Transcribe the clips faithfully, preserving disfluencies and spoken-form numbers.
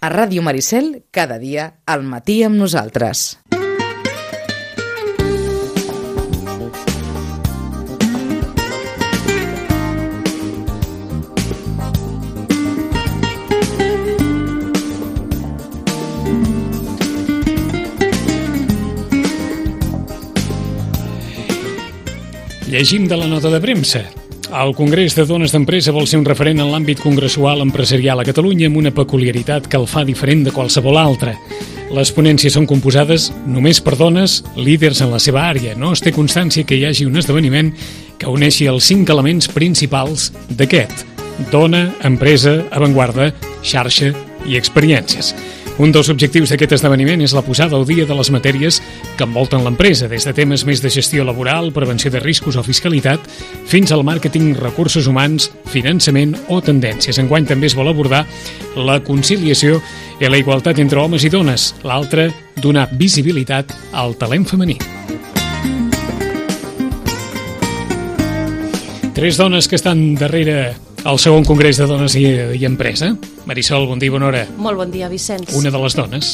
A Ràdio Maricel, cada dia, al matí amb nosaltres. Llegim de la nota de premsa. El Congrés de Dones d'Empresa vol ser un referent en l'àmbit congressual empresarial a Catalunya amb una peculiaritat que el fa diferent de qualsevol altra. Les ponències són composades només per dones líders en la seva àrea. No es té constància que hi hagi un esdeveniment que uneixi els cinc elements principals d'aquest: dona, empresa, avantguarda, xarxa i experiències. Un dels objectius d'aquest esdeveniment és la posada al dia de les matèries que envolten l'empresa, des de temes més de gestió laboral, prevenció de riscos o fiscalitat, fins al màrqueting, recursos humans, finançament o tendències. Enguany també es vol abordar la conciliació i la igualtat entre homes i dones. L'altre, donar visibilitat al talent femení. Tres dones que estan darrere el segon Congrés de Dones i, i Empresa. Marisol, bon dia i bona hora. Molt bon dia, Vicenç. Una de les dones.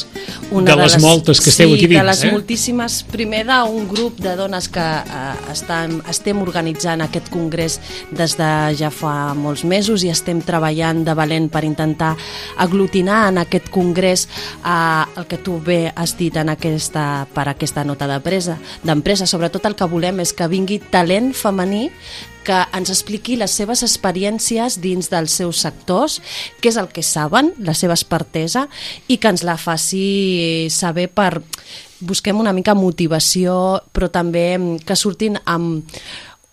Una de, de les, les moltes que esteu sí, aquí dins. Sí, de les eh? moltíssimes. Primer d'un grup de dones que eh, estan, estem organitzant aquest congrés des de ja fa molts mesos i estem treballant de valent per intentar aglutinar en aquest congrés eh, el que tu bé has dit en aquesta, per aquesta nota d'empresa. Sobretot el que volem és que vingui talent femení que ens expliqui les seves experiències dins dels seus sectors, què és el que saben, la seva expertesa, i que ens la faci saber per... Busquem una mica motivació, però també que surtin amb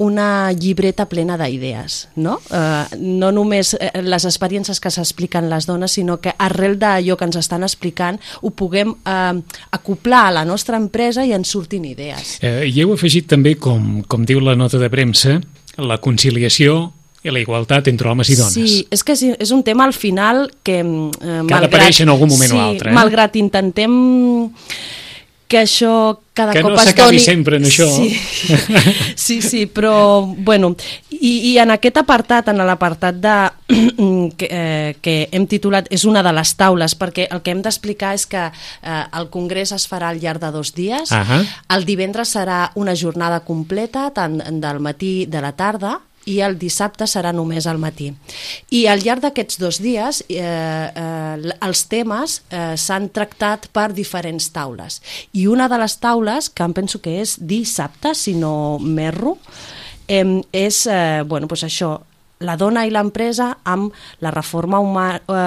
una llibreta plena d'idees, no? Eh, no només les experiències que s'expliquen les dones, sinó que arrel d'allò que ens estan explicant ho puguem eh, acoplar a la nostra empresa i ens surtin idees. Eh, I heu afegit també, com, com diu la nota de premsa, la conciliació i la igualtat entre homes i dones. Sí, és que és un tema al final que... Eh, que ha d'aparèixer en algun moment sí, o altre. Eh? Malgrat intentem que això cada que cop no es s'acabi doni... sempre en això. Sí, sí, sí, però bueno, i, i en aquest apartat, en l'apartat de que, eh, que hem titulat és una de les taules, perquè el que hem d'explicar és que eh, el congrés es farà al llarg de dos dies. Uh-huh. El divendres serà una jornada completa, tant del matí de la tarda, i el dissabte serà només al matí. I al llarg d'aquests dos dies eh, eh, els temes eh, s'han tractat per diferents taules. I una de les taules, que em penso que és dissabte, si no m'erro, eh, és eh, bueno, doncs això, la dona i l'empresa amb la reforma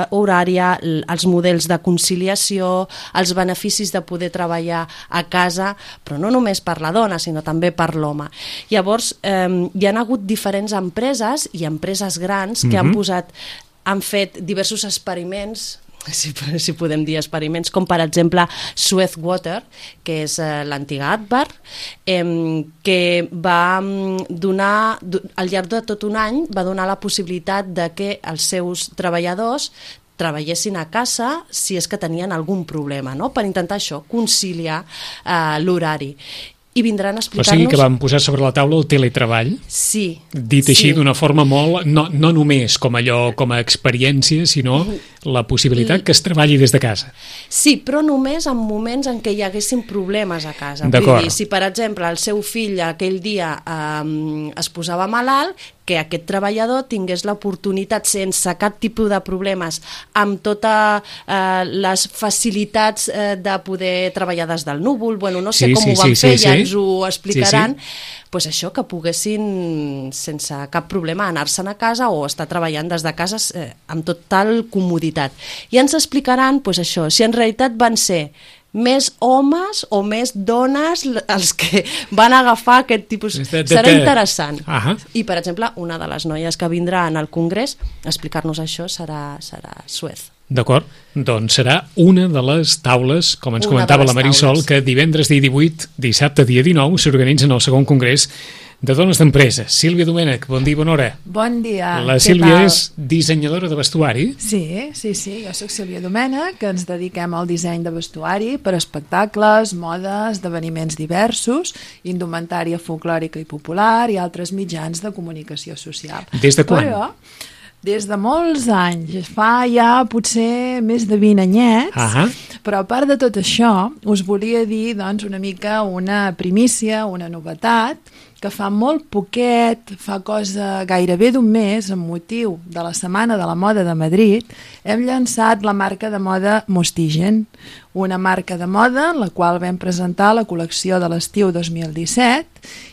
horària, els models de conciliació, els beneficis de poder treballar a casa, però no només per la dona, sinó també per l'home. Llavors, eh, hi ha hagut diferents empreses i empreses grans que mm-hmm. han posat, han fet diversos experiments, si, si podem dir experiments, com per exemple Suez Water, que és eh, l'antiga Advar, eh, que va donar, al llarg de tot un any, va donar la possibilitat de que els seus treballadors treballessin a casa si és que tenien algun problema, no? Per intentar això, conciliar eh, l'horari. I vindran a explicar-nos... O sigui que vam posar sobre la taula el teletreball, sí, dit així sí. d'una forma molt... No, no només com allò, com a experiència, sinó la possibilitat que es treballi des de casa. Sí, però només en moments en què hi haguessin problemes a casa. D'acord. Vull dir, si per exemple el seu fill aquell dia eh, es posava malalt, que aquest treballador tingués l'oportunitat sense cap tipus de problemes, amb totes eh, les facilitats eh, de poder treballar des del núvol, bueno, no sé sí, com sí, ho van sí, fer, sí, ja sí. ens ho explicaran, sí, sí. Pues això, que poguessin sense cap problema anar-se'n a casa o estar treballant des de casa eh, amb total comoditat. I ens explicaran pues, això, si en realitat van ser més homes o més dones els que van agafar aquest tipus... Serà interessant. Uh-huh. I, per exemple, una de les noies que vindrà en el congrés a explicar-nos això serà, serà Suez. D'acord, doncs serà una de les taules, com ens una comentava la Marisol, taules. Que divendres dia divuit, dissabte dia dinou, s'organitzen el segon congrés de dones d'empresa. Sílvia Domènech, bon dia i bona hora. Bon dia. La Sílvia és dissenyadora de vestuari. Sí, sí, sí, jo soc Sílvia Domènech, que ens dediquem al disseny de vestuari per espectacles, modes, esdeveniments diversos, indumentària folclòrica i popular i altres mitjans de comunicació social. Des de quan? Però, Des de molts anys, fa ja potser més de vint anyets, Ah, però a part de tot això, us volia dir doncs, una mica una primícia, una novetat, que fa molt poquet, fa cosa gairebé d'un mes, amb motiu de la Setmana de la Moda de Madrid, hem llançat la marca de moda Mostigen, una marca de moda en la qual vam presentar la col·lecció de l'estiu dos mil disset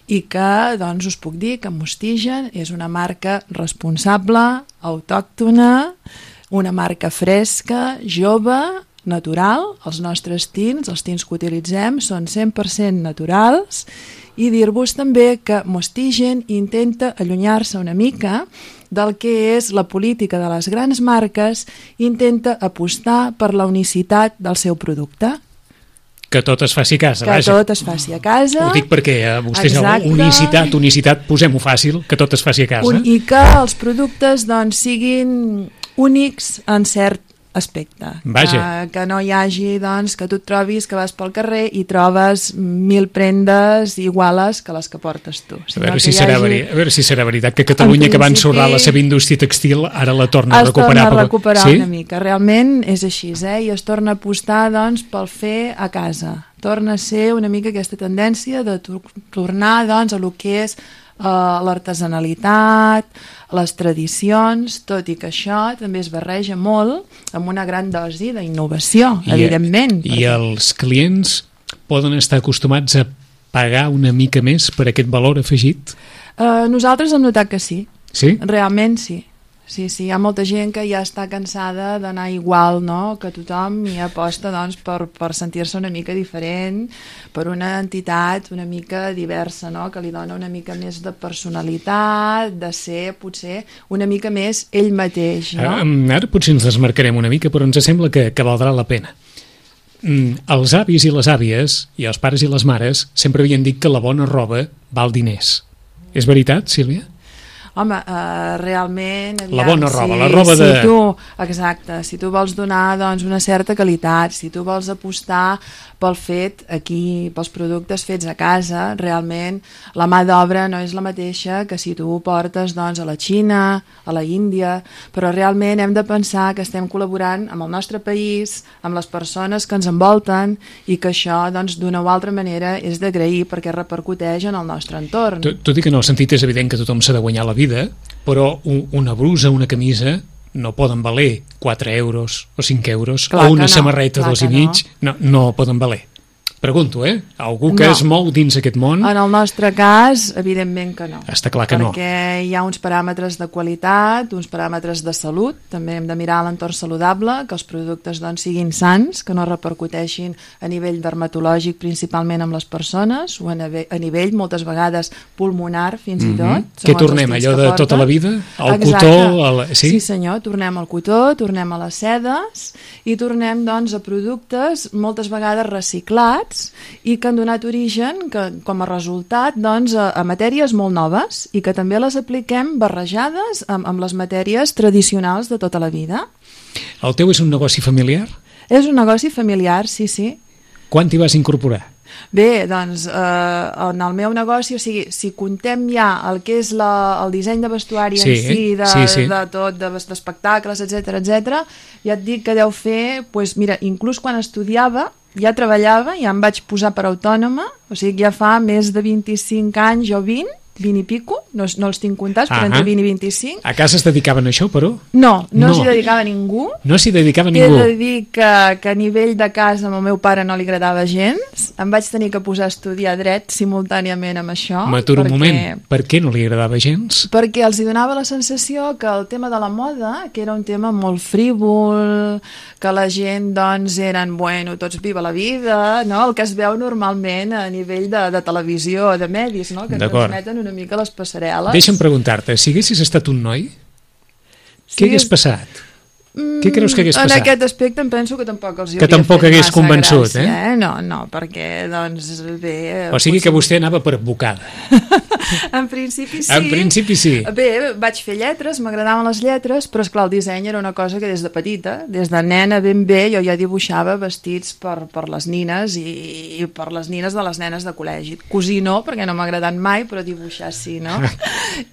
i que, doncs, us puc dir que Mostigen és una marca responsable, autòctona, una marca fresca, jove, natural. Els nostres tints, els tints que utilitzem, són cent per cent naturals, i dir-vos també que Mostigen intenta allunyar-se una mica del que és la política de les grans marques, intenta apostar per la unicitat del seu producte. que tot es faci a casa, Que vaja. tot es faci a casa. Ho dic perquè eh, vostès, Exacte. unicitat, unicitat, posem-ho fàcil, que tot es faci a casa. Un, I que els productes doncs, siguin únics en cert aspecte. Vaja. Que, que no hi hagi, doncs, que tu et trobis que vas pel carrer i trobes mil prendes iguales que les que portes tu. A veure, si serà hagi... veri... a veure si serà veritat que Catalunya, que va principi, ensorrar la seva indústria textil, ara la torna a es recuperar. torna a però- recuperar sí? una mica. Realment és així, eh? I es torna a apostar doncs, pel fer a casa. Torna a ser una mica aquesta tendència de tor tornar doncs, a lo que és uh, l'artesanalitat, les tradicions, tot i que això també es barreja molt amb una gran dosi d'innovació, I, evidentment. I els clients poden estar acostumats a pagar una mica més per aquest valor afegit? Uh, nosaltres hem notat que sí. Sí? Realment sí. Sí, sí, hi ha molta gent que ja està cansada d'anar igual, no?, que tothom, i aposta doncs, per, per sentir-se una mica diferent, per una entitat una mica diversa, no?, que li dona una mica més de personalitat, de ser potser una mica més ell mateix, no? Ara, ara potser ens desmarcarem una mica, però ens sembla que, que valdrà la pena. Mm, els avis i les àvies, i els pares i les mares, sempre havien dit que la bona roba val diners. És veritat, Sílvia? Home, uh, realment... Aviam, La bona roba, si, la roba de... Si tu, exacte, si tu vols donar doncs, una certa qualitat, si tu vols apostar pel fet aquí, pels productes fets a casa, realment la mà d'obra no és la mateixa que si tu ho portes doncs, a la Xina, a la Índia, però realment hem de pensar que estem col·laborant amb el nostre país, amb les persones que ens envolten, i que això doncs, d'una o altra manera és d'agrair perquè repercuteix en el nostre entorn. Tot, tot i que en el sentit és evident que tothom s'ha de guanyar la vida, però un, una brusa, una camisa no poden valer quatre euros o cinc euros, Clar o una que no, samarreta clar dos i que mig, no. no, no poden valer. Pregunto, eh? Algú que No. es mou dins aquest món, En el nostre cas, evidentment que no. està clar que no. Perquè hi ha uns paràmetres de qualitat, uns paràmetres de salut, també hem de mirar l'entorn saludable, que els productes doncs, siguin sans, que no repercuteixin a nivell dermatològic principalment amb les persones, o a, nivell, a nivell moltes vegades pulmonar fins i tot. Mhm. Què tornem, allò de tota la vida? El cotó? El... Sí? sí senyor, tornem al cotó, tornem a les sedes i tornem doncs, a productes moltes vegades reciclats i que han donat origen, que, com a resultat, doncs, a, a matèries molt noves i que també les apliquem barrejades amb, amb les matèries tradicionals de tota la vida. El teu és un negoci familiar? És un negoci familiar, sí, sí. Quan t'hi vas incorporar? Bé, doncs, eh, en el meu negoci, o sigui, si contem ja el que és la, el disseny de vestuari Sí, en si, de, sí, sí. de tot, de- d'espectacles, etcètera, etcètera, ja et dic que deu fer, pues, mira, inclús quan estudiava, ja treballava, ja em vaig posar per autònoma, o sigui, ja fa més de vint-i-cinc anys o vint, vint i pico, no, no els tinc comptats, però Ahà. entre vint i vint-i-cinc. A casa es dedicaven a això, però? No, no, No. s'hi dedicava ningú. No s'hi dedicava He ningú. de dir que, que a nivell de casa amb el meu pare no li agradava gens. Em vaig tenir que posar a estudiar dret simultàniament amb això. M'aturo un perquè- moment. Per què no li agradava gens? Perquè els hi donava la sensació que el tema de la moda, que era un tema molt frívol, que la gent, doncs, eren, bueno, tots viva la vida, no? El que es veu normalment a nivell de, de televisió, de medis, no? Que ens D'acord. transmeten una mica les passarel·les. Deixa'm preguntar-te, si haguessis estat un noi, Sí, què hagués és- passat? Què creus que hagués passat? En aquest aspecte em penso que tampoc els hi que hauria tampoc fet hagués massa convençut, gràcia, eh? eh? No, no, perquè, doncs, bé... O sigui que vostè anava per advocada. En principi sí. En principi sí. Bé, vaig fer lletres, m'agradaven les lletres, però esclar, el disseny era una cosa que des de petita, des de nena ben bé, jo ja dibuixava vestits per, per les nines i, i per les nines de les nenes de col·legi. Cosir no, perquè no m'ha agradat mai, però dibuixar sí, no?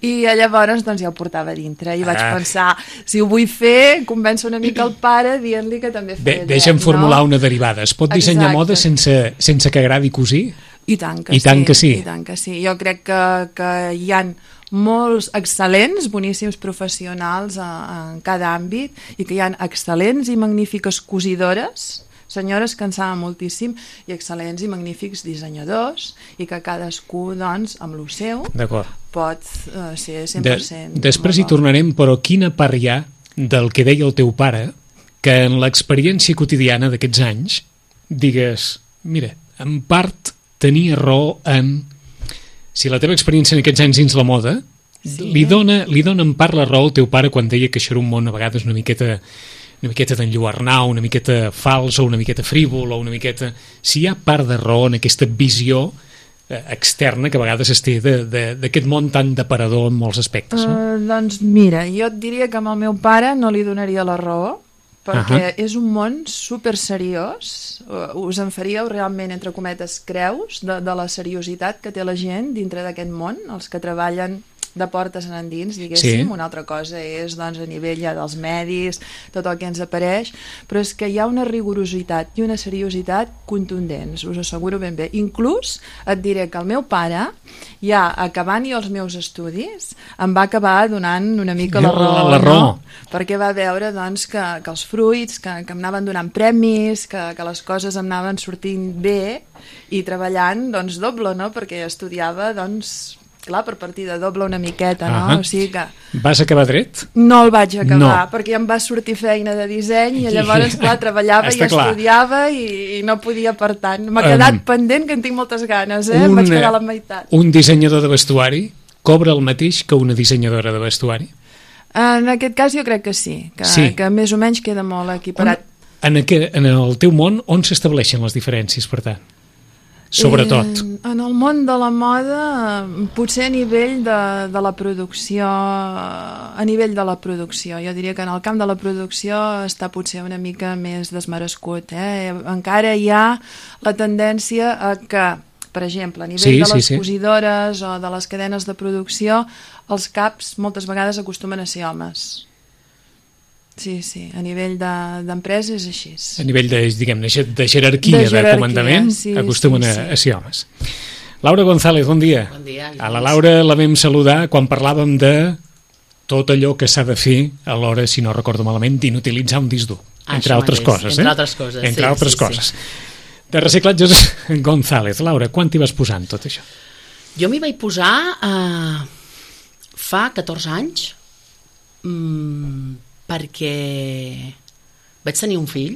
I llavors doncs ja ho portava dintre i vaig Ah. pensar, si ho vull fer, convèncer una mica el pare dient-li que també Bé, feia deixa'm dret, formular no? una derivada. Es pot dissenyar Exacte. moda sense, sense que agradi cosir? I tant que, I tant sí, que sí. I tant que sí. Jo crec que, que hi han molts excel·lents, boníssims professionals a, en cada àmbit i que hi han excel·lents i magnífiques cosidores, senyores que en saben moltíssim, i excel·lents i magnífics dissenyadors, i que cadascú, doncs, amb lo seu, D'acord. pot uh, ser cent De, per cent. després hi tornarem, però quina part hi ha del que deia el teu pare que en l'experiència quotidiana d'aquests anys digues, mira, en part tenia raó en... Si la teva experiència en aquests anys dins la moda sí. li, dona, li dona en part la raó al teu pare quan deia que això era un món a vegades una miqueta una miqueta d'enlluernar, una miqueta fals o una miqueta frívol o una miqueta... Si hi ha part de raó en aquesta visió eh, externa que a vegades es té d'aquest món tan deparador en molts aspectes, no? Uh, doncs mira, jo et diria que amb el meu pare no li donaria la raó, perquè uh -huh. és un món super seriós, us en faríeu realment, entre cometes, creus de, de la seriositat que té la gent dintre d'aquest món, els que treballen de portes en endins, diguéssim. Sí. Una altra cosa és, doncs, a nivell ja dels medis, tot el que ens apareix, però és que hi ha una rigorositat i una seriositat contundents, us asseguro ben bé. Inclús et diré que el meu pare, ja acabant jo els meus estudis, em va acabar donant una mica la raó, la raó. no? Perquè va veure, doncs, que, que els fruits, que, que em anaven donant premis, que, que les coses em anaven sortint bé i treballant, doncs, doble, no? Perquè estudiava, doncs, clar, per partida doble una miqueta, no? Uh -huh. O sigui que... Vas acabar dret? No el vaig acabar, no. perquè em va sortir feina de disseny i llavors, clar, treballava i clar. estudiava i, i no podia, per tant. M'ha quedat um, pendent, que en tinc moltes ganes, eh? Un, em vaig quedar a la meitat. Un dissenyador de vestuari cobra el mateix que una dissenyadora de vestuari? En aquest cas jo crec que sí, que, sí. que més o menys queda molt equiparat. On, en, aquest, en el teu món, on s'estableixen les diferències, per tant? Sobretot. Eh, en el món de la moda, potser a nivell de, de la producció, a nivell de la producció. Jo diria que en el camp de la producció està potser una mica més desmerescut. Eh? Encara hi ha la tendència a que, per exemple, a nivell sí, de les sí, sí. cosidores o de les cadenes de producció, els caps moltes vegades acostumen a ser homes. Sí, sí, a nivell d'empresa de, és així. A nivell de, diguem, de jerarquia, de, jerarquia, de comandament, sí, acostumen sí, sí. a, a ser homes. Laura González, bon dia. Bon dia. A la Laura la vam saludar quan parlàvem de tot allò que s'ha de fer a l'hora, si no recordo malament, d'inutilitzar un disc dur. Ah, entre altres mateix. coses. Entre eh? altres coses, Entre sí, altres sí, coses. Sí. De reciclatges González. Laura, quan t'hi vas posar en tot això? Jo m'hi vaig posar eh, fa catorze anys, mmm, perquè vaig tenir un fill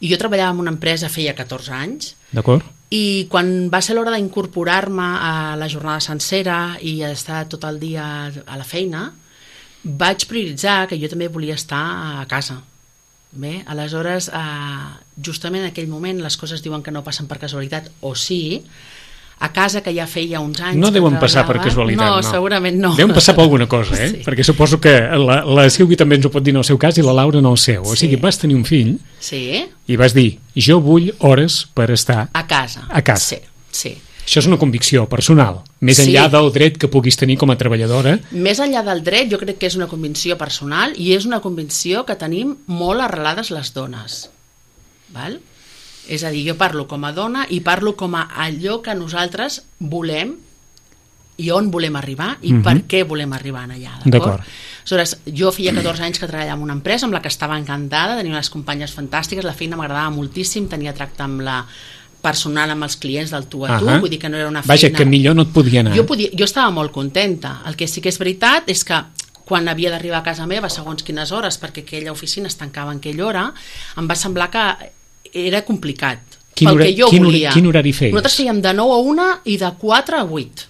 i jo treballava en una empresa feia catorze anys. D'acord. I quan va ser l'hora d'incorporar-me a la jornada sencera i estar tot el dia a la feina, vaig prioritzar que jo també volia estar a casa. Bé, aleshores, eh, justament en aquell moment les coses diuen que no passen per casualitat, o sí, a casa, que ja feia uns anys... No deuen passar per casualitat, no. No, segurament no. Deuen passar per alguna cosa, eh? Sí. Perquè suposo que la, la Sílvia també ens ho pot dir en el seu cas i la Laura en el seu. O sigui, sí. vas tenir un fill sí. i vas dir, jo vull hores per estar... A casa. A casa. Sí, sí. Això és una convicció personal, més sí. enllà del dret que puguis tenir com a treballadora. Més enllà del dret, jo crec que és una convicció personal i és una convicció que tenim molt arrelades les dones. Val? És a dir, jo parlo com a dona i parlo com a allò que nosaltres volem i on volem arribar i mm-hmm. per què volem arribar allà. D'acord? Aleshores, jo feia catorze anys que treballava en una empresa amb la que estava encantada, tenia unes companyes fantàstiques, la feina m'agradava moltíssim, tenia tracte amb la personal amb els clients del tu a tu, uh-huh. vull dir que no era una feina... Vaja, que millor no et podia anar. Jo, podia, jo estava molt contenta. El que sí que és veritat és que quan havia d'arribar a casa meva, segons quines hores, perquè aquella oficina es tancava en aquella hora, em va semblar que era complicat. Quin, pel hora, que jo quin, volia. Quin horari feies? Nosaltres fèiem de nou a una i de quatre a vuit.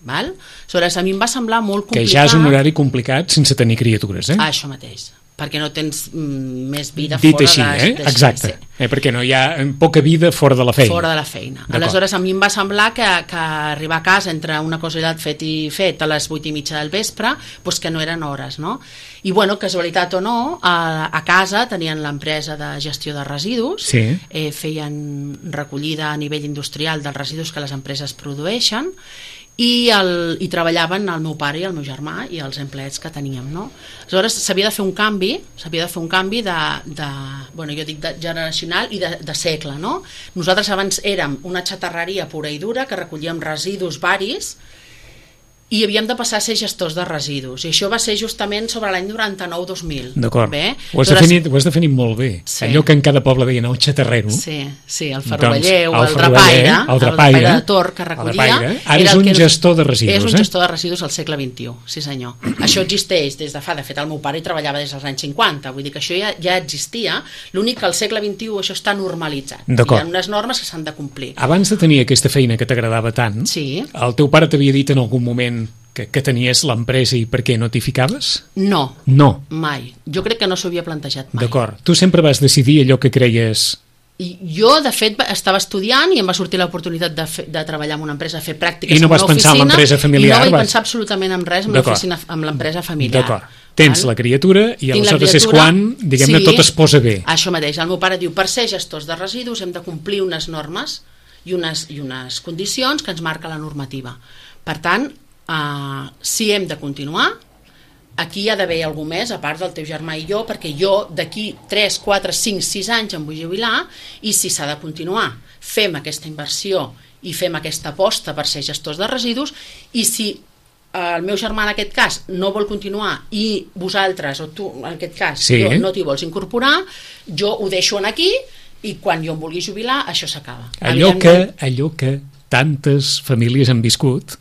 Val? Aleshores, a mi em va semblar molt complicat... Que ja és un horari complicat sense tenir criatures, eh? Ah, això mateix. perquè no tens mm, més vida Dit fora així, de... eh? de Exacte, sí. eh? Perquè no hi ha poca vida fora de la feina. Fora de la feina. Aleshores, a mi em va semblar que, que arribar a casa entre una cosa i l'altra fet i fet a les vuit i mitja del vespre, doncs que no eren hores, no? I, bueno, casualitat o no, a, a casa tenien l'empresa de gestió de residus, sí. eh, feien recollida a nivell industrial dels residus que les empreses produeixen, i, el, i treballaven el meu pare i el meu germà i els empleats que teníem, no? Aleshores s'havia de fer un canvi s'havia de fer un canvi de, de bueno, jo dic de generacional i de, de segle, no? Nosaltres abans érem una xatarreria pura i dura que recollíem residus varis i havíem de passar a ser gestors de residus, i això va ser justament sobre l'any noranta-nou dos mil. D'acord, bé? ho, has Aleshores, definit, ho has definit molt bé, sí. Allò que en cada poble deien el xatarrero. Sí, sí, el ferroveller doncs, o el, el drapaire, el drapaire, drapaire de Tor que recollia. Ara és un gestor de residus. És un eh? gestor de residus al segle vint-i-u, sí senyor. Això existeix des de fa, de fet el meu pare hi treballava des dels anys cinquanta, vull dir que això ja, ja existia, l'únic que al segle vint-i-u això està normalitzat. Hi ha unes normes que s'han de complir. Abans de tenir aquesta feina que t'agradava tant, sí. El teu pare t'havia dit en algun moment que, que tenies l'empresa i per què no t'hi ficaves? No, no, mai. Jo crec que no s'ho havia plantejat mai. D'acord. Tu sempre vas decidir allò que creies... I jo, de fet, estava estudiant i em va sortir l'oportunitat de, fe, de treballar en una empresa, fer pràctiques I no en una vas oficina. pensar en l'empresa familiar? I no vaig vas... pensar absolutament en res amb l'oficina, amb l'empresa familiar. D'acord. Tens Val? la criatura i Tinc aleshores criatura, és quan, diguem-ne, sí, tot es posa bé. Això mateix. El meu pare diu, per ser gestors de residus hem de complir unes normes i unes, i unes condicions que ens marca la normativa. Per tant, Uh, si hem de continuar, aquí hi ha d'haver algú més a part del teu germà i jo, perquè jo d'aquí tres, quatre, cinc, sis anys em vull jubilar, i si s'ha de continuar fem aquesta inversió i fem aquesta aposta per ser gestors de residus, i si el meu germà en aquest cas no vol continuar i vosaltres, o tu en aquest cas sí. no t'hi vols incorporar, jo ho deixo aquí i quan jo em vulgui jubilar això s'acaba. Allò que, allò que tantes famílies han viscut,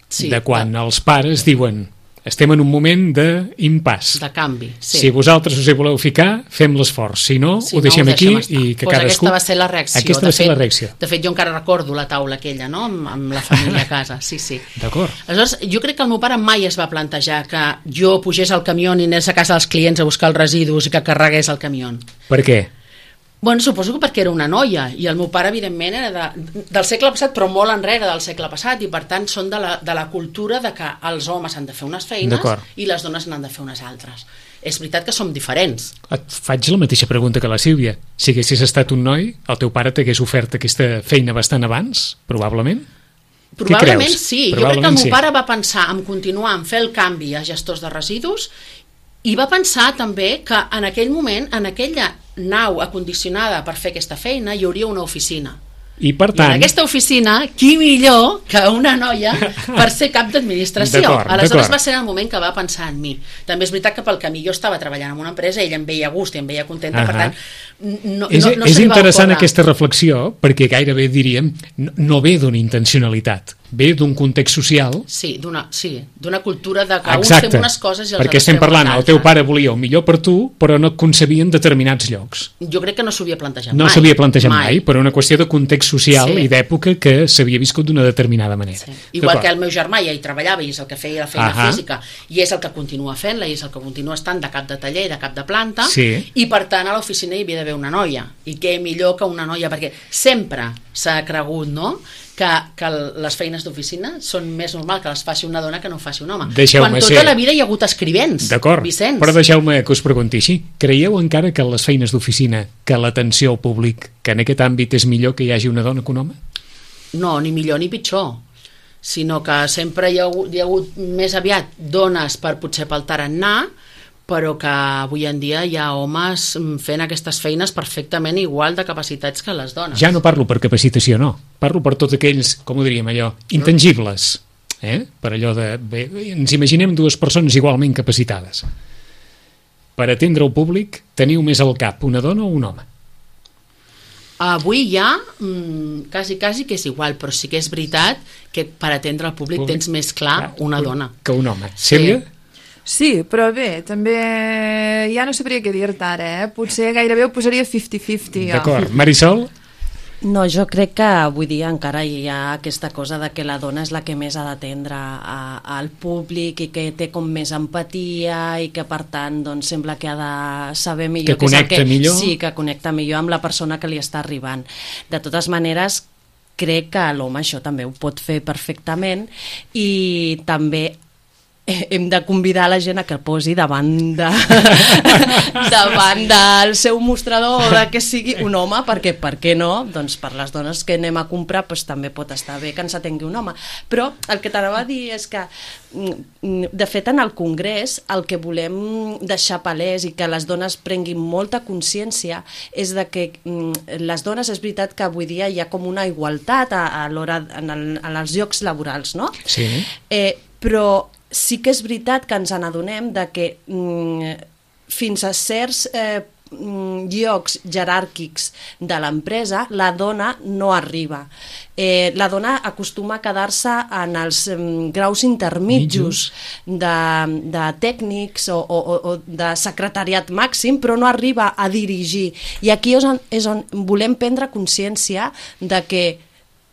sí, de quan va. Els pares diuen estem en un moment d'impàs, de canvi, sí. Si vosaltres us hi voleu ficar fem l'esforç, si no si ho deixem, no, ho deixem aquí i que pues cadascú... aquesta va ser la reacció, aquesta de va ser fet, la reacció. De fet jo encara recordo la taula aquella, no? amb, amb la família a casa, sí, sí. D'acord. Aleshores jo crec que el meu pare mai es va plantejar que jo pugés al camió i anés a casa dels clients a buscar els residus i que carregués el camió. Per què? Bueno, suposo que perquè era una noia i el meu pare evidentment era de, del segle passat, però molt enrere del segle passat, i per tant són de la, de la cultura de que els homes han de fer unes feines i les dones n'han de fer unes altres. És veritat que som diferents. Et faig la mateixa pregunta que la Sílvia. Si haguessis estat un noi, el teu pare t'hagués ofert aquesta feina bastant abans, probablement? Probablement sí. Probablement jo crec que el meu sí. pare va pensar en continuar, en fer el canvi a gestors de residus, i va pensar també que en aquell moment, en aquella nau acondicionada per fer aquesta feina, hi hauria una oficina. I per tant... I en aquesta oficina, qui millor que una noia per ser cap d'administració? Aleshores va ser el moment que va pensar en mi. També és veritat que pel camí jo estava treballant en una empresa, ella em veia a gust i em veia contenta, uh -huh. per tant no, és, no, no és se li va interessant ocórrer. Aquesta reflexió, perquè gairebé diríem no, no ve d'una intencionalitat, ve d'un context social. Sí, d'una sí, d'una cultura de que Exacte, uns fem unes coses i els perquè altres estem parlant, fem el teu pare volia el millor per tu, però no et concebia en determinats llocs. Jo crec que no s'ho havia plantejat no mai. No s'havia plantejat mai. mai, per una qüestió de context social sí. i d'època que s'havia viscut d'una determinada manera. Sí. Igual que el meu germà ja hi treballava i és el que feia la feina Ahà. física i és el que continua fent-la i és el que continua estant de cap de taller i de cap de planta, sí. i per tant a l'oficina hi havia d'haver una noia, i què millor que una noia, perquè sempre s'ha cregut, no?, que, que les feines d'oficina són més normal que les faci una dona que no faci un home. Quan tota ser... la vida hi ha hagut escrivents, D'acord, Vicenç. Però deixeu-me que us pregunti així. Creieu encara que les feines d'oficina, que l'atenció al públic, que en aquest àmbit és millor que hi hagi una dona que un home? No, ni millor ni pitjor, sinó que sempre hi ha hagut, hi ha hagut més aviat dones per potser pel tarannà, però que avui en dia hi ha homes fent aquestes feines perfectament igual de capacitats que les dones. Ja no parlo per capacitació, no. Parlo per tots aquells, com ho diríem allò, intangibles. Eh? Per allò de... Bé, ens imaginem dues persones igualment capacitades. Per atendre el públic, teniu més al cap una dona o un home? Avui ja, mmm, quasi, quasi que és igual, però sí que és veritat que per atendre el públic, públic? tens més clar una dona. Que un home. Sílvia? Sí. Sí, però bé, també ja no sabria què dir-te ara, eh? Potser gairebé ho posaria cinquanta cinquanta. D'acord. Marisol? No, jo crec que avui dia encara hi ha aquesta cosa de que la dona és la que més ha d'atendre al públic i que té com més empatia i que per tant doncs, sembla que ha de saber millor que connecta que, millor. Sí, que connecta millor amb la persona que li està arribant. De totes maneres, crec que l'home això també ho pot fer perfectament i també hem de convidar la gent a que posi davant de davant del seu mostrador o de que sigui un home, perquè per què no? Doncs per les dones que anem a comprar doncs també pot estar bé que ens atengui un home. Però el que t'anava a dir és que de fet en el Congrés el que volem deixar palès i que les dones prenguin molta consciència és de que les dones, és veritat que avui dia hi ha com una igualtat a, a l'hora en, el, en els llocs laborals, no? Sí. Eh, però sí que és veritat que ens n'adonem de que mm, fins a certs eh, llocs jeràrquics de l'empresa la dona no arriba. Eh, la dona acostuma a quedar-se en els mm, graus intermitjos de, de tècnics o, o, o de secretariat màxim, però no arriba a dirigir. I aquí és on, és on volem prendre consciència de que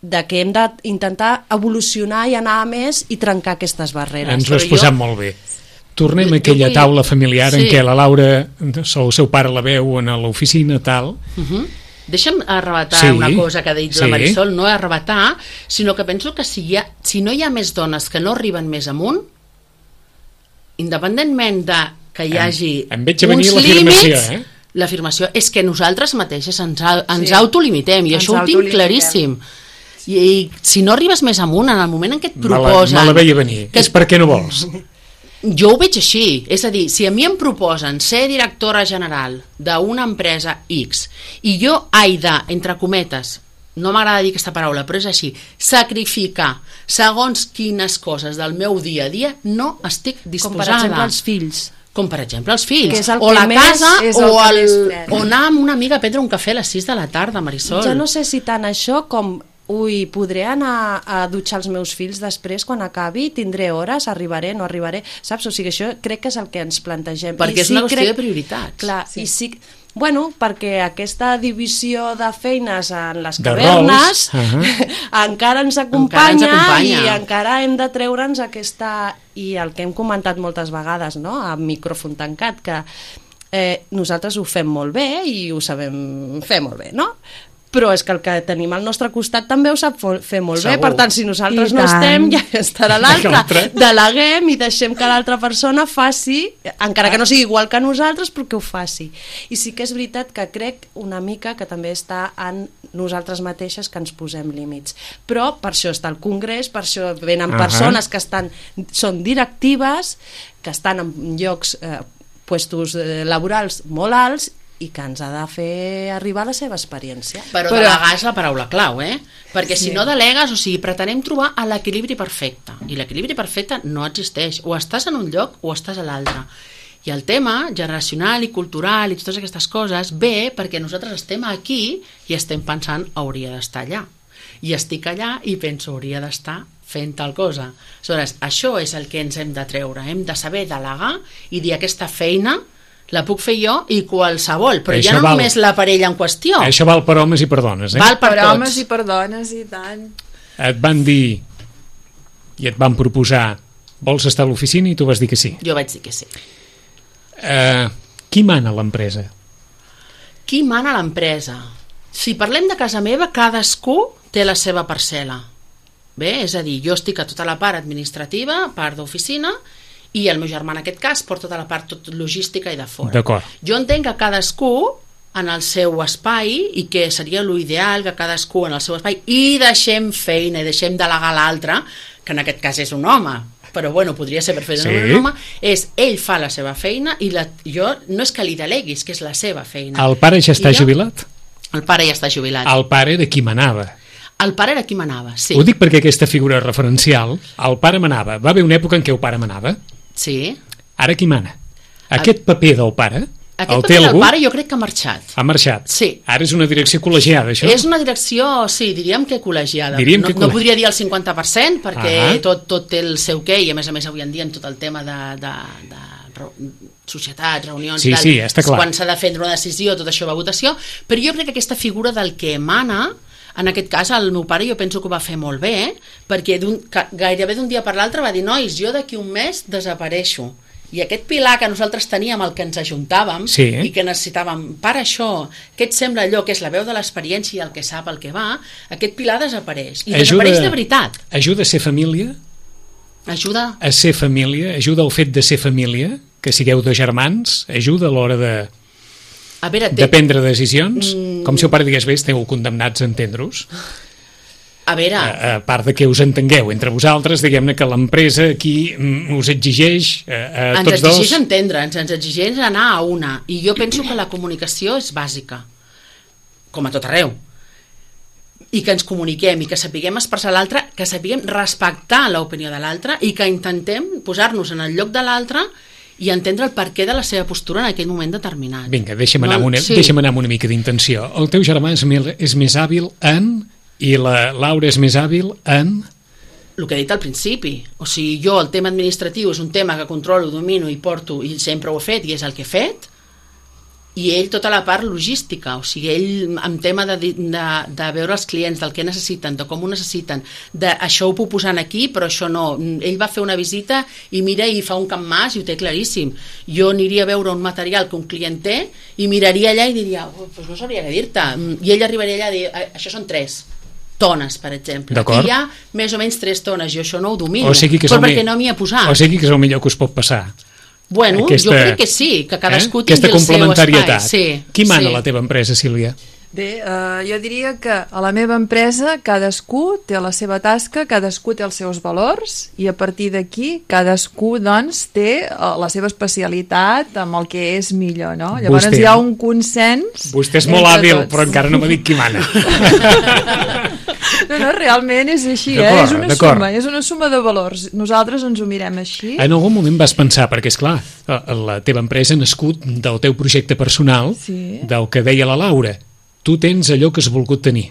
de que hem d'intentar evolucionar i anar a més i trencar aquestes barreres. Ens ho has posat jo... molt bé. Tornem a aquella vull... taula familiar sí. en què la Laura, el seu pare la veu a l'oficina, tal... Uh -huh. Deixa'm arrebatar sí. una cosa que ha dit sí. la Marisol, no arrebatar, sinó que penso que si, hi ha, si no hi ha més dones que no arriben més amunt, independentment de que hi hagi em, em uns límits... Eh? L'afirmació és que nosaltres mateixes ens, ens sí. autolimitem, i ens això ho tinc claríssim. I, i si no arribes més amunt en el moment en què et proposen... Me la, me la veia venir, que és perquè no vols. Jo ho veig així, és a dir, si a mi em proposen ser directora general d'una empresa X i jo he de, entre cometes, no m'agrada dir aquesta paraula, però és així, sacrificar segons quines coses del meu dia a dia, no estic disposada. Com per exemple els fills. Com per exemple els fills, el o la casa el o, el, o anar amb una amiga a prendre un cafè a les sis de la tarda, Marisol. Jo no sé si tant això com... Ui, podré anar a dutxar els meus fills després quan acabi, tindré hores, arribaré, no arribaré, saps? O sigui, això crec que és el que ens plantegem. Perquè I és sí, una qüestió crec... de prioritats. Clar, sí. i sí... Bueno, perquè aquesta divisió de feines en les cavernes uh -huh. encara ens acompanya, encara ens acompanya i encara hem de treure'ns aquesta... I el que hem comentat moltes vegades, no?, a micròfon tancat, que eh, nosaltres ho fem molt bé i ho sabem fer molt bé, no?, però és que el que tenim al nostre costat també ho sap fer molt Segur. bé, per tant, si nosaltres I no tant. estem, ja estarà l'altre. Deleguem i deixem que l'altra persona faci, encara que no sigui igual que nosaltres, però que ho faci. I sí que és veritat que crec una mica que també està en nosaltres mateixes que ens posem límits. Però per això està el Congrés, per això venen uh -huh. persones que estan, són directives, que estan en llocs, eh, puestos eh, laborals molt alts, i que ens ha de fer arribar la seva experiència. Però, Però delegar és la paraula clau, eh? Perquè si sí. no delegues, o sigui, pretenem trobar l'equilibri perfecte, i l'equilibri perfecte no existeix, o estàs en un lloc o estàs a l'altre. I el tema generacional i cultural i totes aquestes coses ve perquè nosaltres estem aquí i estem pensant hauria d'estar allà, i estic allà i penso hauria d'estar fent tal cosa. Aleshores, això és el que ens hem de treure, hem de saber delegar i dir aquesta feina la puc fer jo i qualsevol, però això ja no val, només la parella en qüestió. Això val per homes i per dones, eh? Val per, per tots. homes i per dones, i tant. Et van dir i et van proposar vols estar a l'oficina i tu vas dir que sí. Jo vaig dir que sí. Uh, qui mana a l'empresa? Qui mana a l'empresa? Si parlem de casa meva, cadascú té la seva parcel·la. Bé, és a dir, jo estic a tota la part administrativa, part d'oficina, i el meu germà en aquest cas porta tota la part tot logística i de fora. D'acord. Jo entenc que cadascú en el seu espai, i que seria l'ideal que cadascú en el seu espai, i deixem feina i deixem delegar l'altre, que en aquest cas és un home, però bueno, podria ser perfectament sí. un home, és ell fa la seva feina i la, jo no és que li deleguis, que és la seva feina. El pare ja està jo, jubilat? El pare ja està jubilat. El pare era qui manava. El pare era qui manava, sí. Ho dic perquè aquesta figura referencial, el pare manava. Va haver una època en què el pare manava. Sí. Ara qui mana? Aquest el... paper del pare, aquest el paper té del algú? pare jo crec que ha marxat. Ha marxat? Sí. Ara és una direcció col·legiada, això? És una direcció, sí, diríem que col·legiada. Diríem no, que no podria dir el cinquanta per cent, perquè ah. tot, tot té el seu què, i a més a més avui en dia en tot el tema de... de, de societats, reunions, sí, tal, sí, està clar. Quan s'ha de prendre una decisió, tot això va a votació, però jo crec que aquesta figura del que emana En aquest cas, el meu pare jo penso que ho va fer molt bé, perquè gairebé d'un dia per l'altre va dir, nois, jo d'aquí un mes desapareixo. I aquest pilar que nosaltres teníem, el que ens ajuntàvem, sí. i que necessitàvem, per això, què et sembla allò, que és la veu de l'experiència i el que sap, el que va, aquest pilar desapareix. I ajuda, desapareix de veritat. Ajuda a ser família? Ajuda. A ser família? Ajuda el fet de ser família? Que sigueu dos germans? Ajuda a l'hora de... A veure, té... de prendre decisions? Mm... Com si el pare digués, bé, esteu condemnats a entendre-us. A veure... A, a part de que us entengueu entre vosaltres, diguem-ne que l'empresa aquí us exigeix a, a ens tots dos... Ens exigeix entendre'ns, ens exigeix anar a una. I jo penso que la comunicació és bàsica, com a tot arreu. I que ens comuniquem, i que sapiguem expressar l'altre, que sapiguem respectar l'opinió de l'altre, i que intentem posar-nos en el lloc de l'altre i entendre el perquè de la seva postura en aquell moment determinat. Vinga, deixa'm anar, no, una, sí. deixa'm anar amb una mica d'intenció. El teu germà és, és més hàbil en... i la Laura és més hàbil en... El que he dit al principi. O sigui, jo el tema administratiu és un tema que controlo, domino i porto, i sempre ho he fet, i és el que he fet, i ell tota la part logística, o sigui, ell en tema de, de, de veure els clients, del que necessiten, de com ho necessiten, de això ho puc posar aquí, però això no. Ell va fer una visita i mira i fa un camp mas i ho té claríssim. Jo aniria a veure un material que un client té i miraria allà i diria, oh, pues no sabria què dir-te. I ell arribaria allà i diria, això són tres tones, per exemple. Aquí hi ha més o menys tres tones, jo això no ho domino, o sigui que però perquè no m'hi ha posat. O sigui que és el millor que us pot passar. Bueno, aquesta, jo crec que sí, que cadascú eh? tingui el seu espai. Sí, Qui mana sí. a la teva empresa, Sílvia? Bé, eh, jo diria que a la meva empresa cadascú té la seva tasca, cadascú té els seus valors i a partir d'aquí cadascú doncs té la seva especialitat amb el que és millor, no? Llavors vostè, hi ha un consens. Vostè és molt hàbil, tots. Però encara no m'ha dit qui mana. No, no, realment és així, eh? És una suma, és una suma de valors. Nosaltres ens ho mirem així. En algun moment vas pensar, perquè és clar, la teva empresa ha nascut del teu projecte personal, sí. Del que deia la Laura. Tu tens allò que has volgut tenir.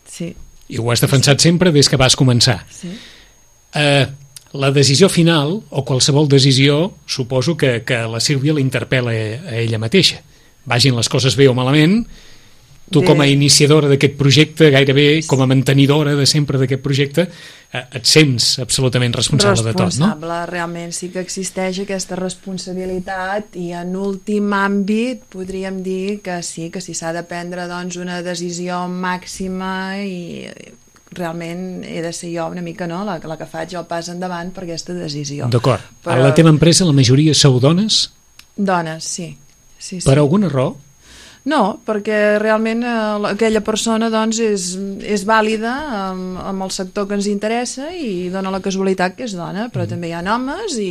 Sí. I ho has defensat sí. Sempre des que vas començar. Sí. Eh, la decisió final, o qualsevol decisió, suposo que, que la Sílvia l'interpel·la a ella mateixa. Vagin les coses bé o malament, tu bé. Com a iniciadora d'aquest projecte, gairebé com a mantenidora de sempre d'aquest projecte, eh, et sents absolutament responsable, responsable de tot, no? Responsable, realment sí que existeix aquesta responsabilitat i en últim àmbit podríem dir que sí, que si s'ha de prendre doncs, una decisió màxima i realment he de ser jo una mica no, la, la que faig el pas endavant per aquesta decisió. D'acord. Però... A la teva empresa la majoria sou dones? Dones, sí. sí, sí. Per alguna raó? No, perquè realment eh, aquella persona doncs, és, és vàlida amb, amb el sector que ens interessa i dona la casualitat que és dona, però mm. també hi ha homes i,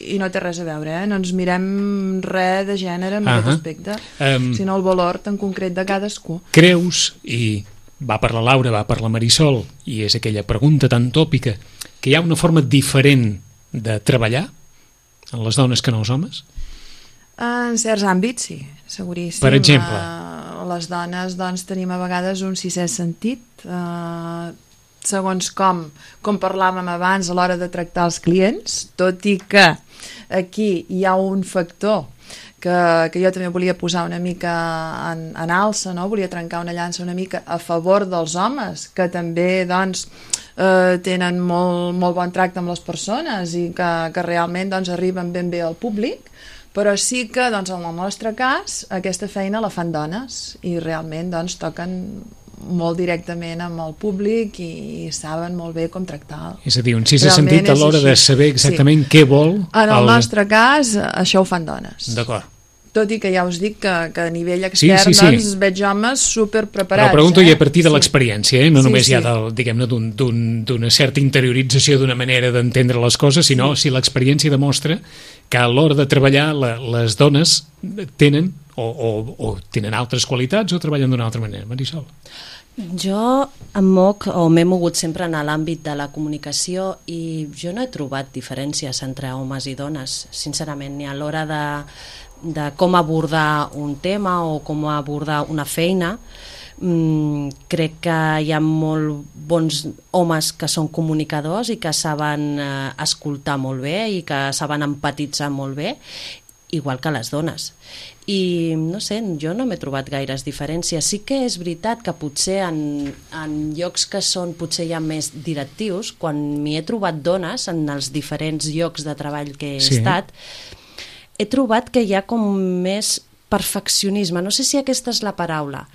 i no té res a veure, eh? No ens mirem res de gènere en uh -huh. aquest aspecte, um, sinó el valor tan concret de cadascú. Creus, i va per la Laura, va per la Marisol, i és aquella pregunta tan tòpica, que hi ha una forma diferent de treballar en les dones que en els homes? En certs àmbits, sí, seguríssim. Per exemple? Uh, les dones doncs, tenim a vegades un sisè sentit, uh, segons com, com parlàvem abans a l'hora de tractar els clients, tot i que aquí hi ha un factor que, que jo també volia posar una mica en, en alça, no? Volia trencar una llança una mica a favor dels homes, que també doncs, eh, tenen molt, molt bon tracte amb les persones i que, que realment doncs, arriben ben bé al públic, però sí que doncs, en el nostre cas aquesta feina la fan dones i realment doncs, toquen molt directament amb el públic i saben molt bé com tractar. És a dir, un sisè sentit a l'hora de saber exactament sí. què vol... En el, el nostre cas, això ho fan dones. D'acord. Tot i que ja us dic que, que a nivell extern sí, sí, sí. doncs, veig homes superpreparats. Però pregunto eh? ja a partir de sí. l'experiència, eh? no sí, només sí. ja del, diguem-ne d'una un, certa interiorització d'una manera d'entendre les coses, sinó sí. si l'experiència demostra que a l'hora de treballar la, les dones tenen o, o, o tenen altres qualitats o treballen d'una altra manera. Marisol. Jo em moc o m'he mogut sempre en l'àmbit de la comunicació i jo no he trobat diferències entre homes i dones, sincerament, ni a l'hora de, de com abordar un tema o com abordar una feina. Mm, crec que hi ha molt bons homes que són comunicadors i que saben eh, escoltar molt bé i que saben empatitzar molt bé, igual que les dones. i no sé, jo no m'he trobat gaires diferències. Sí que és veritat que potser en, en llocs que són potser ja més directius, quan m'hi he trobat dones en els diferents llocs de treball que he Sí. estat, he trobat que hi ha com més perfeccionisme, no sé si aquesta és la paraula,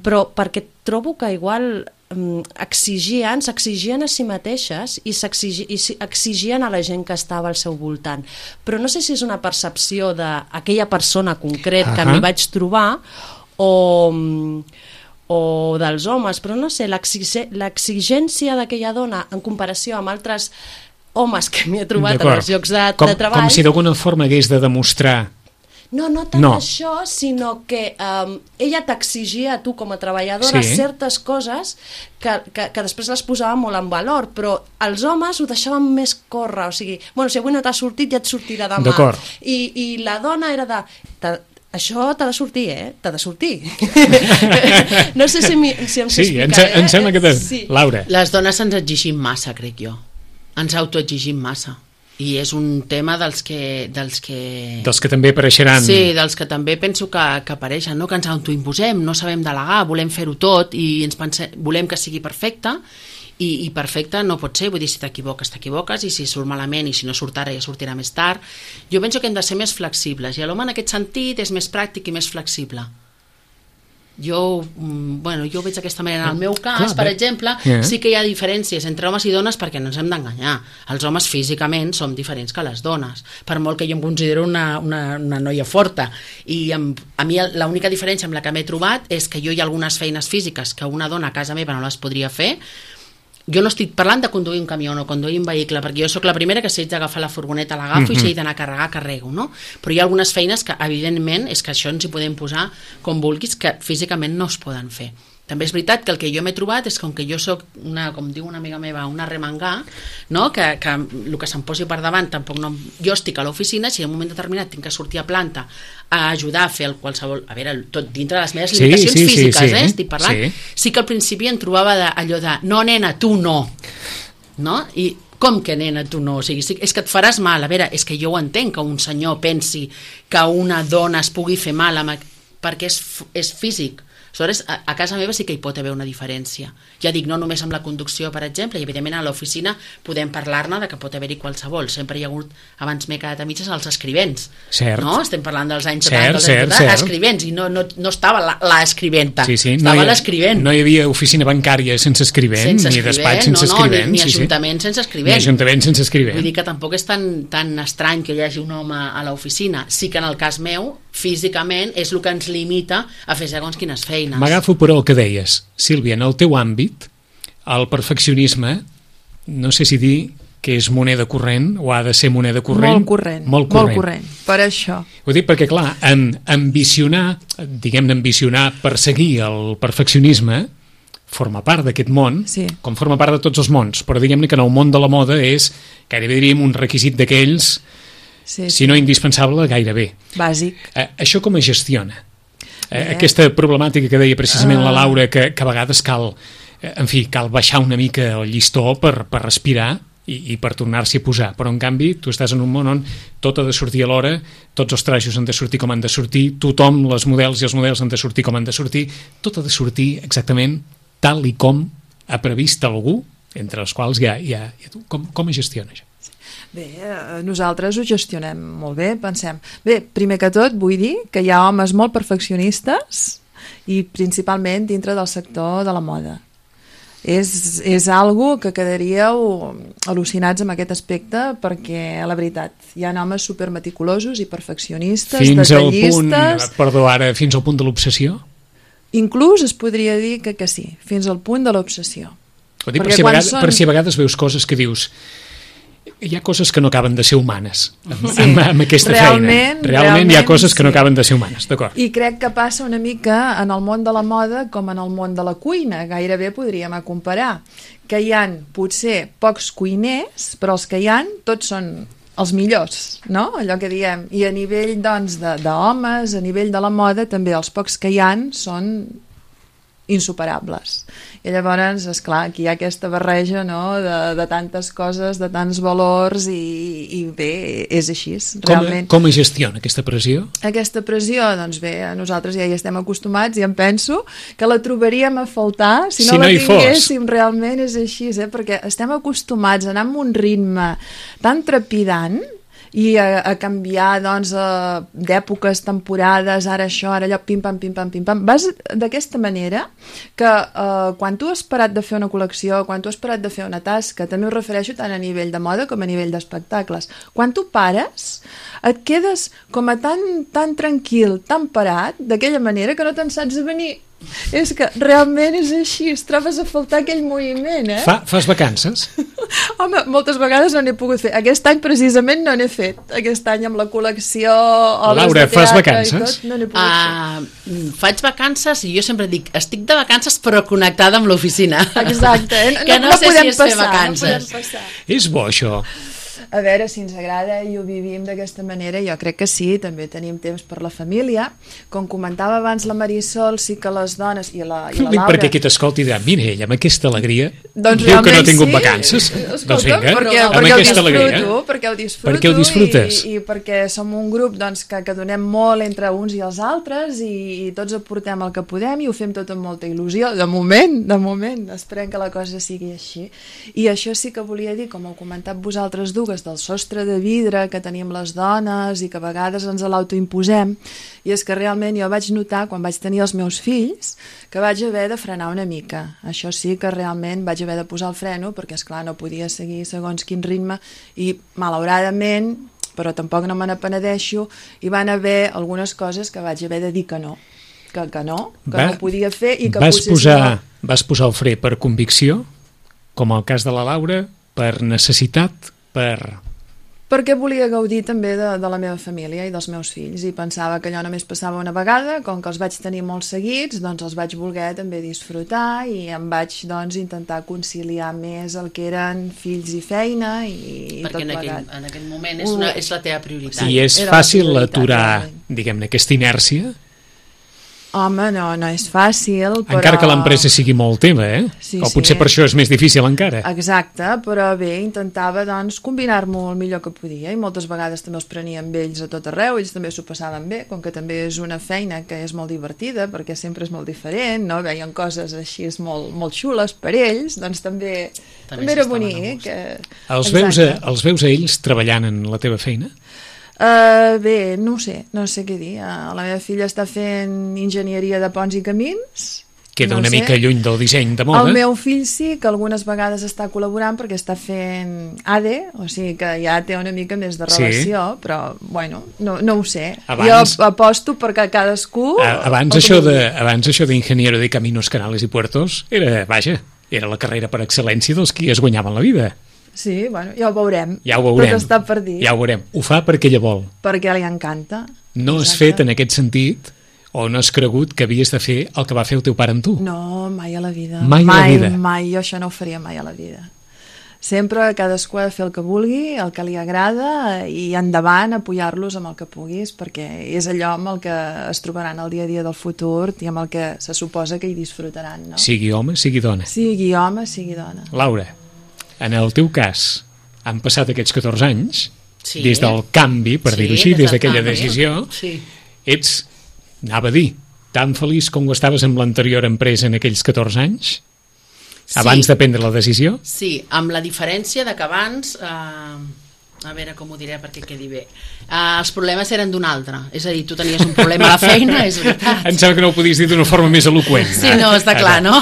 però perquè trobo que igual um, exigien, s'exigien a si mateixes i, s'exigi, i exigien a la gent que estava al seu voltant. Però no sé si és una percepció d'aquella persona concret que Ahà. m'hi vaig trobar o, o dels homes, però no sé, l'exige- l'exigència d'aquella dona en comparació amb altres homes que m'hi he trobat en D'acord. els llocs de, com, de treball. Com si d'alguna forma hagués de demostrar. No, no tant No. això, sinó que um, ella t'exigia a tu com a treballadora Sí. certes coses que, que, que després les posava molt en valor, però els homes ho deixaven més córrer, o sigui, bueno, si avui no t'ha sortit ja et sortirà demà. D'acord. I, I la dona era de... "Ta- això t'ha de sortir, eh? T'ha de sortir." No sé si, mi, si em sé Sí, em, explicar, se- em eh? sembla que... Te... Sí. Laura. Les dones ens exigim massa, crec jo. Ens autoexigim massa. I és un tema dels que... Dels que... Dels que també apareixeran. Sí, dels que també penso que, que apareixen, no? Que ens autoimposem, no sabem delegar, volem fer-ho tot i ens pense, volem que sigui perfecte i, i perfecte no pot ser, vull dir, si t'equivoques, t'equivoques i si surt malament i si no surt ara ja sortirà més tard. Jo penso que hem de ser més flexibles i l'home en aquest sentit és més pràctic i més flexible. Jo, mm, bueno, jo ho veig d'aquesta manera. En el meu cas, Clar, per bé. exemple, Yeah. sí que hi ha diferències entre homes i dones perquè no ens hem d'enganyar. Els homes físicament som diferents que les dones, per molt que jo em considero una, una, una noia forta. I amb, a mi l'única diferència amb la que m'he trobat és que jo hi ha algunes feines físiques que una dona a casa meva no les podria fer. Jo no estic parlant de conduir un camió o no conduir un vehicle, perquè jo sóc la primera que si haig d'agafar la furgoneta l'agafo mm-hmm. i si he d'anar a carregar, carrego, no? Però hi ha algunes feines que, evidentment, és que això ens hi podem posar com vulguis, que físicament no es poden fer. També és veritat que el que jo m'he trobat és que, com que jo sóc, una, com diu una amiga meva, una remangà, no? que, que el que se'm posi per davant tampoc no... Jo estic a l'oficina, si en un moment determinat tinc que sortir a planta a ajudar a fer el qualsevol... A veure, tot dintre de les meves Sí, limitacions sí, sí, físiques, sí. eh? Estic parlant. Sí. Sí que al principi em trobava de, allò de no, nena, tu no. No? I com que, nena, tu no? O sigui, sí, és que et faràs mal. A veure, és que jo ho entenc que un senyor pensi que una dona es pugui fer mal amb... perquè és, és físic. Aleshores, a, a casa meva sí que hi pot haver una diferència. Ja dic, no només amb la conducció, per exemple, i evidentment a l'oficina podem parlar-ne de que pot haver-hi qualsevol. Sempre hi ha hagut, abans m'he quedat a mitges, els escrivents. Cert. No? Estem parlant dels anys Cert, setanta, cert, setanta, cert. escrivents, i no, no, no estava la, la escriventa, Sí, sí. estava No hi, l'escrivent. no hi havia oficina bancària sense escrivent, Sense ni escrivent, despatx sense no, no, escrivent. ni, ni sí, sí. ajuntament sense escrivent. Ni ajuntament sense escrivent. Vull dir que tampoc és tan, tan estrany que hi hagi un home a l'oficina. Sí que en el cas meu, físicament, és el que ens limita a fer segons quines feines. M'agafo per el que deies. Sílvia, en el teu àmbit, el perfeccionisme, no sé si dir que és moneda corrent o ha de ser moneda corrent. Molt corrent, Molt corrent. molt corrent. Per això. Ho dic perquè, clar, en ambicionar, diguem-ne ambicionar, perseguir el perfeccionisme, forma part d'aquest món, Sí. com forma part de tots els mons, però diguem-ne que en el món de la moda és, gairebé diríem, un requisit d'aquells, Sí, si no indispensable, gairebé. Bàsic. Eh, això com es gestiona? Eh, Bé. aquesta problemàtica que deia precisament la Ah. Laura, que, que a vegades cal, eh, en fi, cal baixar una mica el llistó per, per respirar i, i per tornar-s'hi a posar, però en canvi tu estàs en un món on tot ha de sortir a l'hora, tots els trajos han de sortir com han de sortir, tothom, les models i els models han de sortir com han de sortir, tot ha de sortir exactament tal i com ha previst algú, entre els quals hi ha, hi ha, hi ha tu. Com, com es gestiona això? Bé, eh, nosaltres ho gestionem molt bé, pensem. Bé, primer que tot vull dir que hi ha homes molt perfeccionistes i principalment dintre del sector de la moda. És, és algo que quedaríeu al·lucinats amb aquest aspecte perquè, la veritat, hi ha homes supermeticulosos i perfeccionistes, Fins al punt, detallistes... perdó, ara, fins al punt de l'obsessió? Inclús es podria dir que, que sí, fins al punt de l'obsessió. Ho dic per Perquè si, a quan vegades, són- per si a vegades veus coses que dius hi ha coses que no acaben de ser humanes amb, sí. amb, amb aquesta Realment, feina. Realment hi ha realment, coses que no sí. acaben de ser humanes, d'acord. I crec que passa una mica en el món de la moda com en el món de la cuina, gairebé podríem comparar, que hi han potser pocs cuiners, però els que hi han tots són els millors, no? Allò que diem. I a nivell, doncs, de- d'homes, a nivell de la moda, també els pocs que hi han són insuperables. I llavors, esclar, aquí hi ha aquesta barreja, no?, de, de tantes coses, de tants valors i, i bé, és així, realment. Com, com es gestiona aquesta pressió? Aquesta pressió, doncs bé, nosaltres ja hi estem acostumats i em penso que la trobaríem a faltar si no, si no la tinguéssim, fos. Realment és així, eh? Perquè estem acostumats a anar amb un ritme tan trepidant i a, a canviar, doncs, d'èpoques, temporades, ara això, ara allò, pim-pam, pim-pam, pim-pam. Vas d'aquesta manera que eh, quan tu has parat de fer una col·lecció, quan tu has parat de fer una tasca, també ho refereixo tant a nivell de moda com a nivell d'espectacles, quan tu pares, et quedes com a tan, tan tranquil, tan parat, d'aquella manera que no te'n saps a venir. És que realment és així, es trobes a faltar aquell moviment, eh? Fa, fas vacances? Home, moltes vegades no n'he pogut fer. Aquest any precisament no n'he fet. Aquest any amb la col·lecció, obres Laura, de teatre fas vacances? i tot, no n'he pogut uh, fer. Faig vacances i jo sempre dic, estic de vacances però connectada amb l'oficina. Exacte. Eh? Que no, no, no sé si és passar, fer vacances. No és bo, això. A veure si ens agrada i ho vivim d'aquesta manera, jo crec que sí, també tenim temps per la família. Com comentava abans la Marisol, sí que les dones i la, i la Laura... Perquè qui t'escolti dirà, mira, ella amb aquesta alegria doncs diu que no ha tingut sí. vacances. Escolta, doncs vinga, perquè, amb perquè aquesta ho alegria. Perquè ho disfruto, perquè ho disfrutes. I, i perquè som un grup doncs, que, que donem molt entre uns i els altres i, i tots aportem el que podem i ho fem tot amb molta il·lusió. De moment, de moment, esperem que la cosa sigui així. I això sí que volia dir, com heu comentat vosaltres dues, del sostre de vidre que tenim les dones i que a vegades ens l'autoimposem, i és que realment jo vaig notar quan vaig tenir els meus fills que vaig haver de frenar una mica. Això sí que realment vaig haver de posar el freno perquè, esclar, no podia seguir segons quin ritme i, malauradament, però tampoc no me n'apenedeixo, hi van haver algunes coses que vaig haver de dir que no, que, que no, que Va, no podia fer i que vas potser... Posar, no... Vas posar el fre per convicció, com el cas de la Laura, per necessitat, per... perquè volia gaudir també de, de la meva família i dels meus fills i pensava que allò només passava una vegada, com que els vaig tenir molt seguits, doncs els vaig voler també disfrutar i em vaig doncs intentar conciliar més el que eren fills i feina i, i tot en plegat. Perquè en aquell moment és, una, és la teva prioritat. I és Era fàcil aturar, diguem-ne, aquesta inèrcia? Home, no, no és fàcil, però... Encara que l'empresa sigui molt teva, eh? Sí, o potser sí. per això és més difícil encara. Exacte, però bé, intentava doncs combinar-m'ho el millor que podia i moltes vegades també els prenia amb ells a tot arreu, ells també s'ho passaven bé, com que també és una feina que és molt divertida, perquè sempre és molt diferent, no? Veien coses així molt, molt xules per ells, doncs també, també, també era bonic. Que... Els veus, a, els veus a ells treballant en la teva feina? Uh, bé, no ho sé, no sé què dir. Uh, la meva filla està fent enginyeria de ponts i camins. Queda no una sé. mica lluny del disseny de moda. El meu fill sí, que algunes vegades està col·laborant perquè està fent A D E, o sigui que ja té una mica més de relació, sí. Però, bueno, no, no ho sé. Abans, jo aposto perquè cadascú... Abans això, de, abans això d'ingeniero de caminos, canales i puertos era, vaja, era la carrera per excel·lència dels qui es guanyaven la vida. Sí, bueno, ja ho veurem. Ja ho veurem. Tot està per dir. Ja ho veurem. Ho fa perquè ella vol. Perquè li encanta. No has fet en aquest sentit o no has cregut que havies de fer el que va fer el teu pare amb tu? No, mai a la vida. Mai, mai a la vida. Mai, jo això no ho faria mai a la vida. Sempre cadascú ha de fer el que vulgui, el que li agrada i endavant apoyar-los amb el que puguis perquè és allò amb el que es trobaran el dia a dia del futur i amb el que se suposa que hi disfrutaran. No? Sigui home, sigui dona. Sigui home, sigui dona. Laura, en el teu cas, han passat aquests catorze anys, sí. Des del canvi, per sí, dir-ho així, des, des d'aquella canvi. decisió, sí. Ets, anava a dir, tan feliç com ho estaves amb l'anterior empresa en aquells catorze anys? Sí. Abans de prendre la decisió? Sí, amb la diferència de que abans... Eh, a veure com ho diré perquè quedi bé. Uh, els problemes eren d'un altre. És a dir, tu tenies un problema a la feina, és veritat. Em sembla que no ho podies dir d'una forma més eloqüent. Sí, no, està clar, no?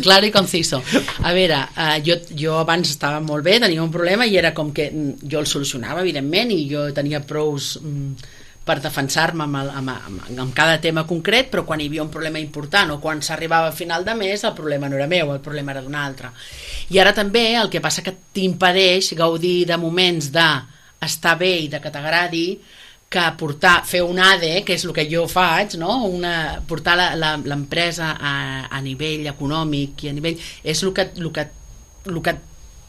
Clar i conciso. A veure, uh, jo, jo abans estava molt bé, tenia un problema i era com que jo el solucionava, evidentment, i jo tenia prous... Um, per defensar-me amb, el, amb, amb, amb cada tema concret, però quan hi havia un problema important o quan s'arribava a final de mes, el problema no era meu, el problema era d'un altre. I ara també el que passa que t'impedeix gaudir de moments d'estar bé i de que t'agradi, que portar, fer un A D E, que és el que jo faig, no? Una, portar l'empresa a, a nivell econòmic i a nivell... és el que, el que, el que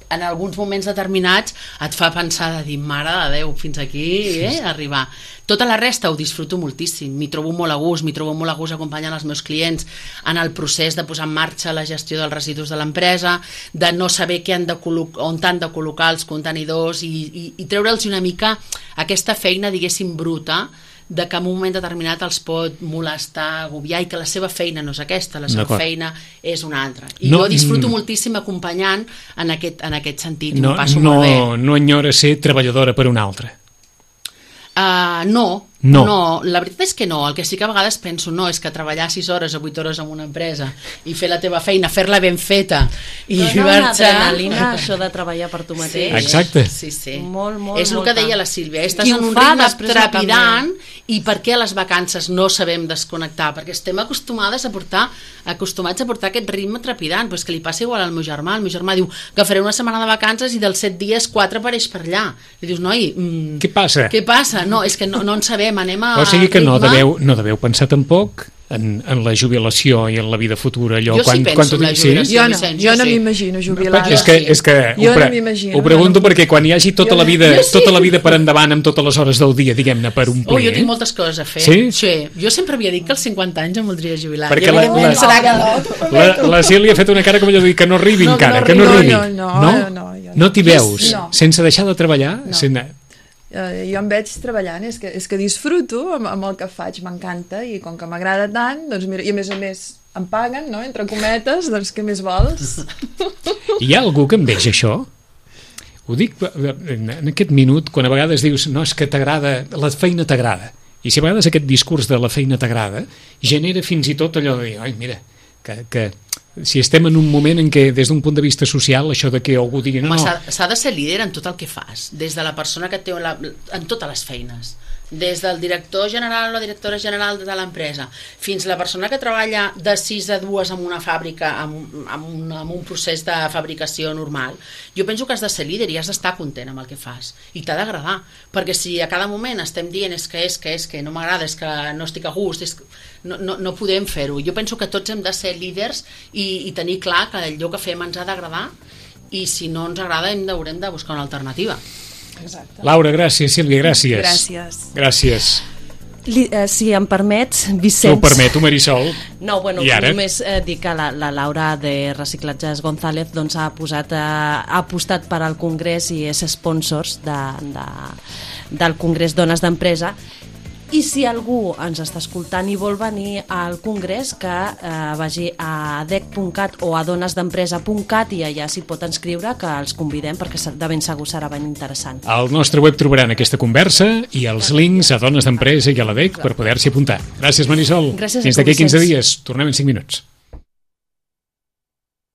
en alguns moments determinats et fa pensar de dir, mare de Déu, fins aquí eh, arribar. Tota la resta ho disfruto moltíssim, m'hi trobo molt a gust, m'hi trobo molt a gust acompanyant els meus clients en el procés de posar en marxa la gestió dels residus de l'empresa, de no saber què han de on han de col·locar els contenidors i, i, i treure'ls una mica aquesta feina, diguéssim, bruta, de que en un moment determinat els pot molestar, agobiar, i que la seva feina no és aquesta, la seva feina és una altra. I no, jo disfruto mm, moltíssim acompanyant en aquest, en aquest sentit, i no, m'ho passo no, molt bé. No enyora ser treballadora per una altra? Uh, no, no, no, la veritat és que no. El que sí que a vegades penso, no, és que treballar sis hores o vuit hores en una empresa i fer la teva feina, fer-la ben feta i no, una adrenalina, això de treballar per tu mateix. Sí, exacte. Sí, sí. Molt, molt, és el molta. que deia la Sílvia, estàs en un ritme trepidant, i per què a les vacances no sabem desconnectar? Perquè estem acostumades a portar, acostumats a portar aquest ritme trepidant, però és que li passa igual al meu germà. El meu germà diu que faré una setmana de vacances i dels set dies quatre apareix per allà. I dius, noi, mm, què passa? Què passa? No, és que no, no en sabem, anem a... O sigui que no deveu, no deveu pensar tampoc en, en la jubilació i en la vida futura. Allò, jo quan, sí penso quan en la jubilació, sí? Jo no, Vicenç, jo no sí. m'imagino jubilar. És que, és que jo ho, pre no m'imagino. Ho pregunto no. perquè quan hi hagi tota jo la vida no. sí. tota la vida per endavant amb totes les hores del dia, diguem-ne, per omplir... Oh, jo tinc moltes coses a fer. Sí? Sí. Jo sempre havia dit que als cinquanta anys em voldria jubilar. Perquè la, la, que... la, la Sílvia ha fet una cara com allò de dir que no arribi no, encara, no, que no no, arribi. No, no, no, no, no, no, no t'hi veus, no. sense deixar de treballar? No. Sense... Uh, jo em veig treballant, és que, és que disfruto amb, amb el que faig, m'encanta, i com que m'agrada tant, doncs mira, i a més a més em paguen, no?, entre cometes, doncs què més vols? Hi ha algú que em veig això? Ho dic en aquest minut, quan a vegades dius, no, és que t'agrada, la feina t'agrada, i si a vegades aquest discurs de la feina t'agrada genera fins i tot allò de dir, ai, mira, que, que si estem en un moment en què des d'un punt de vista social això de que algú digui no, no. S'ha de ser líder en tot el que fas, des de la persona que té la, en totes les feines, des del director general o la directora general de l'empresa fins a la persona que treballa de sis a dues en una fàbrica amb, amb, un, amb un procés de fabricació normal. Jo penso que has de ser líder i has d'estar content amb el que fas i t'ha d'agradar, perquè si a cada moment estem dient és que és que és que no m'agrada, és que no estic a gust, és que no, no, no podem fer-ho. Jo penso que tots hem de ser líders i, i tenir clar que allò que fem ens ha d'agradar, i si no ens agrada hem haurem de buscar una alternativa. Exacte. Laura, gràcies. Sílvia, gràcies. Gràcies. Gràcies. Li, eh, si em permets, Vicenç... T'ho permeto, Marisol. No, bueno, I ara? només eh, dir que la, la Laura de Reciclatges González doncs, ha, posat, eh, ha apostat per al Congrés i és sponsors de, de, del Congrés Dones d'Empresa. I si algú ens està escoltant i vol venir al Congrés, que eh, vagi a dec punt cat o a donesdempresa punt cat i allà s'hi pot inscriure, que els convidem perquè de ben segur serà ben interessant. Al nostre web trobaran aquesta conversa i els links a Dones d'Empresa i a la D E C per poder-s'hi apuntar. Gràcies, Marisol. Gràcies a tu, Fins d'aquí quinze Vicenç. dies. Tornem en cinc minuts.